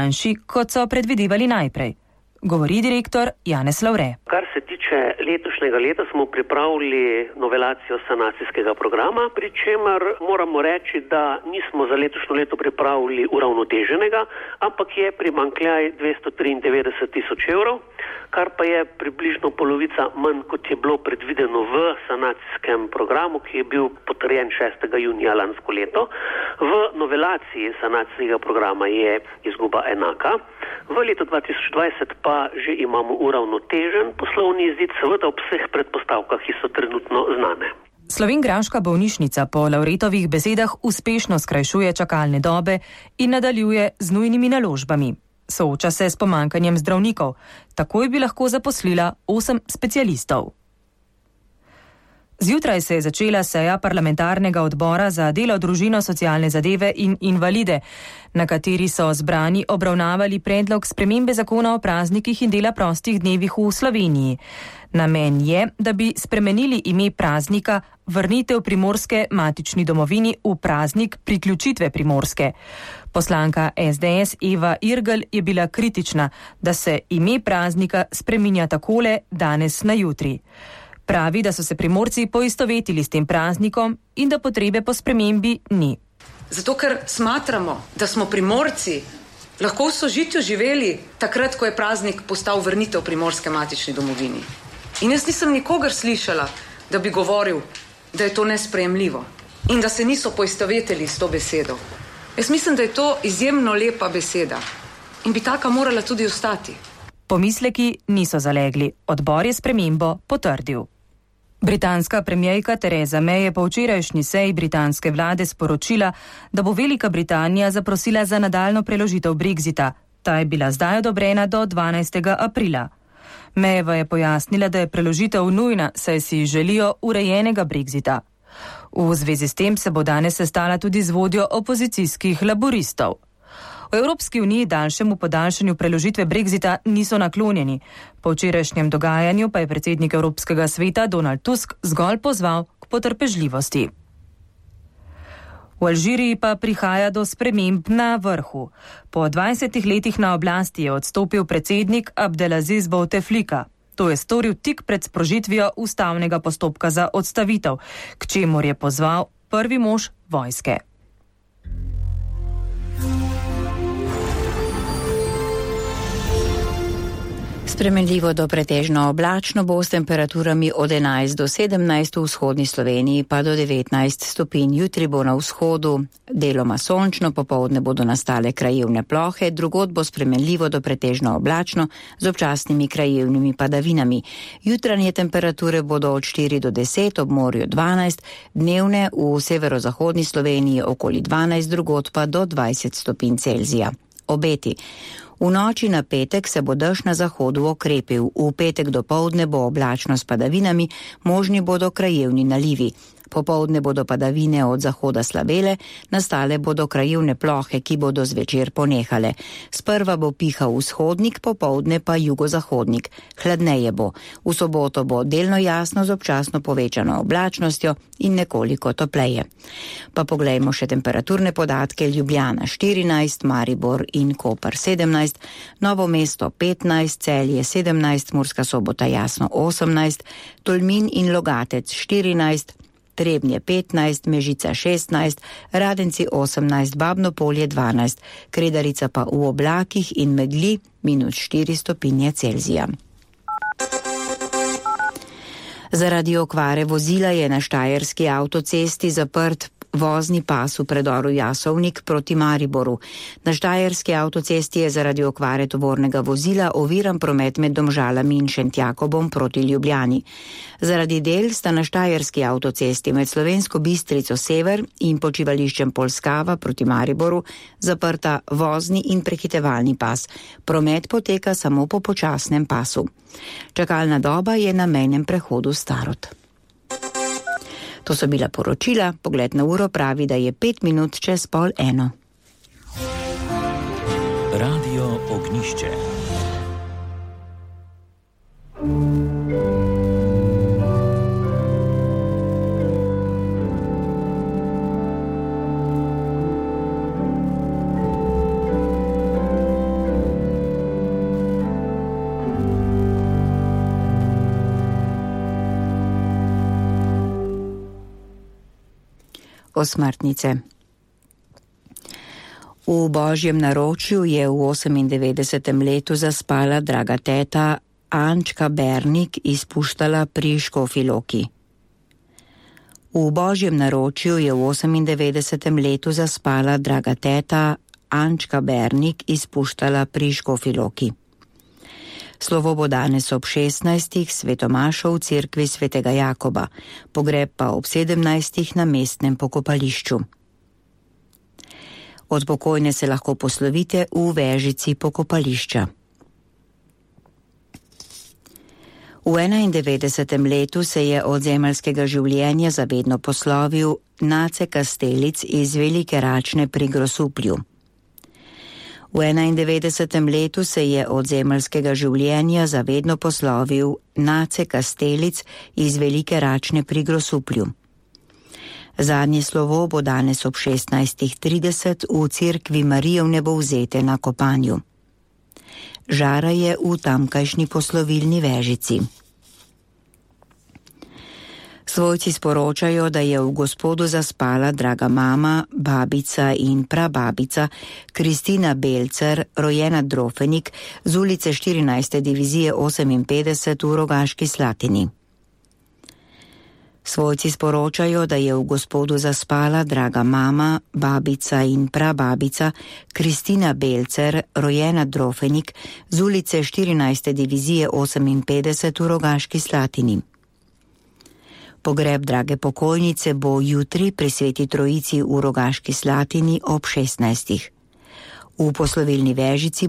manjši, kot so predvidevali najprej. Govori direktor Janez Lavre. Kar se tiče letošnjega leta, smo pripravili novelacijo sanacijskega programa, pri čemer moramo reči, da nismo za letošnjo leto pripravili uravnoteženega, ampak je primanjkljaj 293 tisoč evrov, kar pa je približno polovica manj, kot je bilo predvideno v sanacijskem programu, ki je bil potrjen 6. junija lansko leto. V novelaciji sanacijskega programa je izguba enaka. V letu 2020 pa že imamo uravnotežen poslovni izid, seveda ob vseh predpostavkah, ki so trenutno znane. Slovenjgraška bolnišnica po Lavretovih besedah uspešno skrajšuje čakalne dobe in nadaljuje z nujnimi naložbami. Sooča se s pomanjkanjem zdravnikov. Takoj bi lahko zaposlila 8 specialistov. Zjutraj se je začela seja parlamentarnega odbora za delo, družino, socialne zadeve in invalide, na kateri so zbrani obravnavali predlog spremembe zakona o praznikih in dela prostih dnevih v Sloveniji. Namen je, da bi spremenili ime praznika vrnitev Primorske matični domovini v praznik priključitve Primorske. Poslanka SDS Eva Irgl je bila kritična, da se ime praznika spreminja takole danes na jutri. Pravi, da so se Primorci poistovetili s tem praznikom in da potrebe po spremembi ni. Zato, ker smatramo, da smo Primorci lahko v sožitju živeli takrat, ko je praznik postal vrnitev Primorske matični domovini. In jaz nisem nikogar slišala, da bi govoril, da je to nesprejemljivo in da se niso poistovetili s to besedo. Jaz mislim, da je to izjemno lepa beseda in bi taka morala tudi ostati. Pomisleki niso zalegli. Odbor je spremembo potrdil. Britanska premierka Theresa May je po včerajšnji seji britanske vlade sporočila, da bo Velika Britanija zaprosila za nadaljnjo preložitev Brexita. Ta je bila zdaj odobrena do 12. aprila. Mayeva je pojasnila, da je preložitev nujna, saj si želijo urejenega Brexita. V zvezi s tem se bo danes sestala tudi z vodjo opozicijskih laboristov. V Evropski uniji daljšemu podaljšanju preložitve Brexita niso naklonjeni. Po včerajšnjem dogajanju pa je predsednik Evropskega sveta Donald Tusk zgolj pozval k potrpežljivosti. V Alžiriji pa prihaja do sprememb na vrhu. Po 20 letih na oblasti je odstopil predsednik Abdelaziz Bouteflika. To je storil tik pred sprožitvijo ustavnega postopka za odstavitev, k čemur je pozval prvi mož vojske. Spremenljivo do pretežno oblačno bo s temperaturami od 11 do 17 v vzhodni Sloveniji pa do 19 stopinj. Jutri bo na vzhodu deloma sončno, popoldne bodo nastale krajevne plohe, drugod bo spremenljivo do pretežno oblačno z občasnimi krajevnimi padavinami. Jutranje temperature bodo od 4 do 10, ob morju 12, dnevne v severozahodni Sloveniji okoli 12, drugod pa do 20 stopinj Celzija. Obeti. V noči na petek se bo dež na zahodu okrepil, v petek dopoldne bo oblačno s padavinami, možni bodo krajevni nalivi. Popoldne bodo padavine od zahoda slabele, nastale bodo krajevne plohe, ki bodo zvečer ponehale. Sprva bo pihal vzhodnik, popoldne pa jugozahodnik. Hladneje bo. V soboto bo delno jasno z občasno povečano oblačnostjo in nekoliko topleje. Pa poglejmo še temperaturne podatke. Ljubljana 14, Maribor in Koper 17, Novo mesto 15, Celje 17, Murska Sobota jasno 18, Tolmin in Logatec 14, Trebnje 15, Mežica 16, Radenci 18, Babno Polje 12, Kredarica pa v oblakih in megli -4 stopinje Celzija. Zaradi okvare vozila je na štajerski avtocesti zaprt vozni pas v predoru Jasovnik proti Mariboru. Na štajerski avtocesti je zaradi okvare tovornega vozila oviran promet med Domžalami in Šentjakobom proti Ljubljani. Zaradi del sta na štajerski avtocesti med Slovensko Bistrico sever in počivališčem Polskava proti Mariboru zaprta vozni in prehitevalni pas. Promet poteka samo po počasnem pasu. Čakalna doba je na mejnem prehodu Starod. To so bila poročila, pogled na uro pravi, da je 5 minut čez 12:30. Radio Ognišče. posmrtnice. V božjem naročju je v 98. letu zaspala draga teta Ančka Bernik iz Puštala pri Škofji Loki. V božjem naročju je v 98. letu zaspala draga teta Ančka Bernik iz Puštala pri Škofji Loki. Slovo bo danes ob 16. svetomašo v cerkvi svetega Jakoba, pogreb pa ob 17. na mestnem pokopališču. Od pokojne se lahko poslovite v vežici pokopališča. V 91. letu se je od zemeljskega življenja zavedno poslovil Nace Kastelic iz Velike Račne pri Grosuplju. V 91. letu se je od zemeljskega življenja zavedno poslovil Nace Kastelic iz Velike Račne pri Grosuplju. Zadnje slovo bo danes ob 16.30 v cerkvi Marije Vnebovzete na Kopanju. Žara je v tamkajšnji poslovilni vežici. Svojci sporočajo, da je v Gospodu zaspala draga mama, babica in prababica Kristina Belcer, rojena Drofenik, z ulice 14. divizije 58 v Rogaški Slatini. Svojci sporočajo, da je v Gospodu zaspala draga mama, babica in prababica Kristina Belcer, rojena Drofenik, z ulice 14. divizije 58 v Rogaški Slatini. Pogreb drage pokojnice bo jutri pri Sveti Trojici v Rogaški Slatini ob 16. V poslovilni vežici bo